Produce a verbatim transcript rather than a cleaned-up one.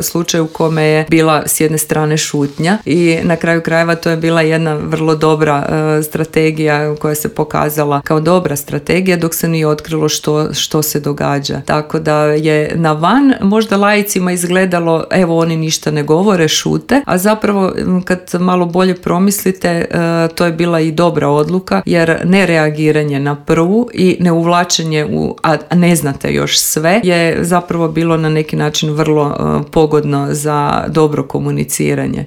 slučaj u kome je bila s jedne strane šutnja i na kraju krajeva to je bila jedna vrlo dobra uh, strategija koja se pokazala kao dobra strategija dok se nije otkrilo što, što se događa. Tako da je na van možda laicima izgledalo evo oni ništa ne govore, šute, a zapravo kad malo bolje promislite uh, to je bila i dobra odluka jer nereagiranje na prvu i neuvlačenje u, a ne znate još sve, je zapravo bilo na neki način vrlo uh, pogodno za dobro komuniciranje.